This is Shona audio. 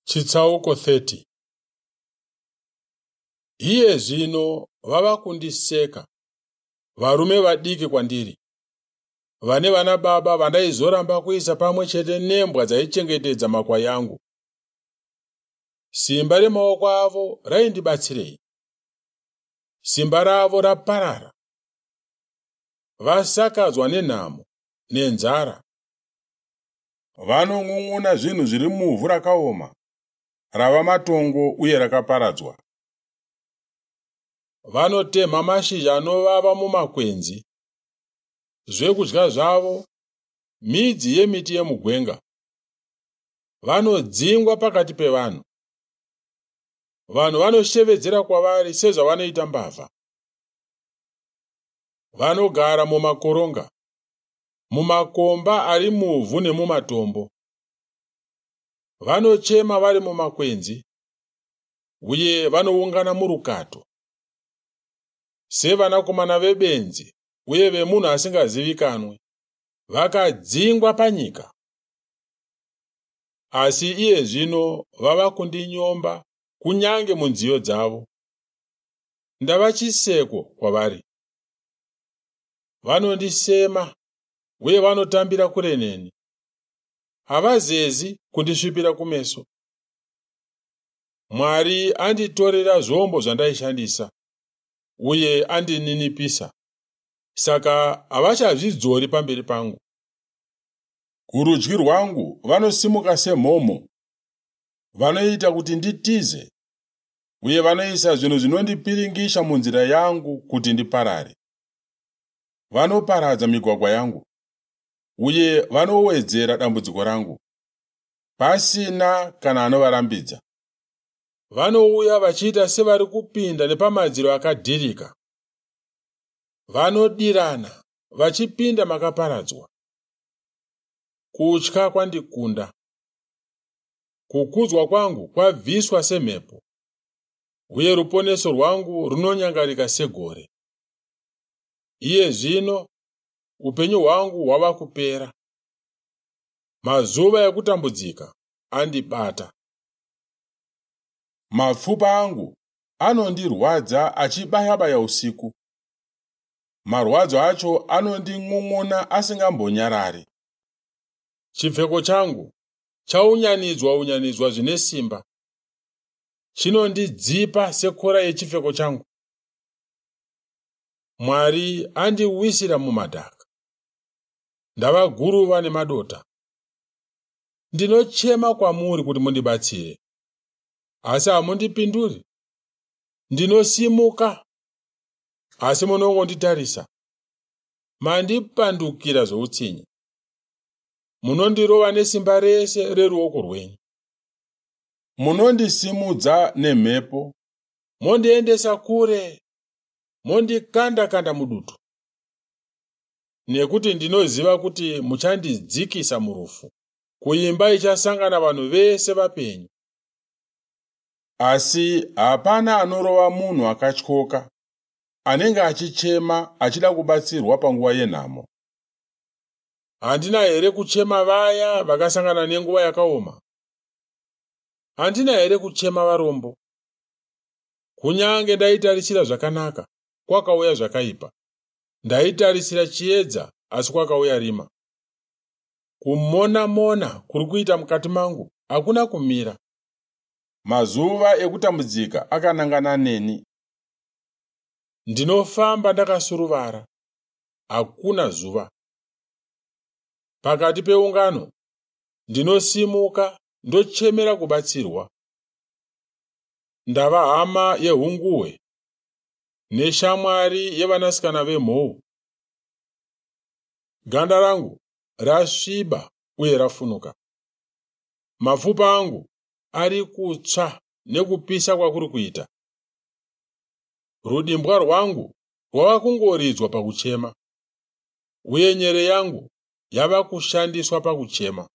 Chitsauko 30. Iye zvino vava kundiseka, varume vadiki kwandiri, vane vana baba vandaizoramba kuisa pamwe chete nembwa dzaichengetedza makwai angu. Simba remaoko avo raindibatsirei? Simba ravo raparara. Vasakadzwa nenhamo nenzara. Vanon'un'una zvinhu zviri muvhu rakaoma, rava matongo uye rakaparadzwa. Vanotemha mashizha anovava mumakwenzi. Zvekudya zvavo midzi yemiti yemugwenga. Vanodzingwa pakati pevanhu. Vanhu vanoshevedzera kwavari sezvavanoita mbavha. Vanogara mumakoronga, mumakomba ari muvhu nemumatombo. Vanochema vari mumakwenzi uye vanoungana murukato. Sevanakomana vebenzi uye vemunhu asingazivikanwi, vakadzingwa panyika. Asi iye zvino vava kundinyomba kunyange munziyo dzavo. Ndava chiseko kwavari. Vanondisema uye vanotambira kure neni. Havazezi kundisvipira kumeso. Mwari anditorera zvombo zvandaishandisa uye andininipisa, saka havachazvidzori pamberi pangu. Kurudyi rwangu vanosimuka semhomho, vanoita kuti nditize, uye vanoisa zvinhu zvinondipiringisha munzira yangu kuti ndiparare. Vanoparadza migwagwa yangu, uye vanowedzera dambudziko rangu, pasina kana anovarambidza. Vanouya vachiita sevari kupinda nepamadziro akadhirika. Vanodirana vachipinda makaparadzwa. Kutya kwandikunda. Kukudzwa kwangu kwabviswa semhepo, uye ruponeso rwangu runonyangarika segore. Iye zvino upenyu hwangu hwava kupera. Mazuva ekutambudzika andibata. Mapfupa angu anondirwadza achibaya-baya usiku. Marwadzo acho anondin'un'una asingambonyarari. Chipfeko changu chaunyanidzwa unyanidzwa zvine simba. Chinondidzipa sekora yechipfeko changu. Mwari andiwisira mumadhaka. Ndava guruva nemadota. Ndinochema kwamuri kuti mundibatsire, asi hamundipinduri. Ndinosimuka, asi munongonditarisa. Mandipandukira zvoutsinye. Munondirova nesimba rese reruoko rwenyu. Munondisimudza nemhepo, mondiendesa kure, mondikanda-kanda mudutu. Nekuti ndinoziva kuti muchandidzikisa murufu, kuimba ichasangana vanhu vese vapenyu. Asi hapana anorova munhu akatyoka, anenge achichema achida kubatsirwa panguva yenhamo. Handina here kuchema vaya vakasangana nenguva yakaoma? Handina here kuchema varombo? Kunyange ndaitarisira zvakanaka, kwakauya zvakaipa. Ndaitarisira chiedza, asi kwakauya rima. Kumona-mona kuri kuita mukati mangu hakuna kumira. Mazuva ekutambudzika akanangana neni. Ndinofamba ndakasuruvara, hakuna zuva. Pakati peungano ndinosimuka ndochemera kubatsirwa. Ndava hama yehunguhwe neshamwari yevanasikana vemhou. Ganda rangu rasviba uye rafunuka. Mapfupa angu ari kutsva nekupisa kwakuri kuita. Rudimbwa rwangu rwava kungoridzwa pakuchema, uye nyere yangu yava kushandiswa pakuchema.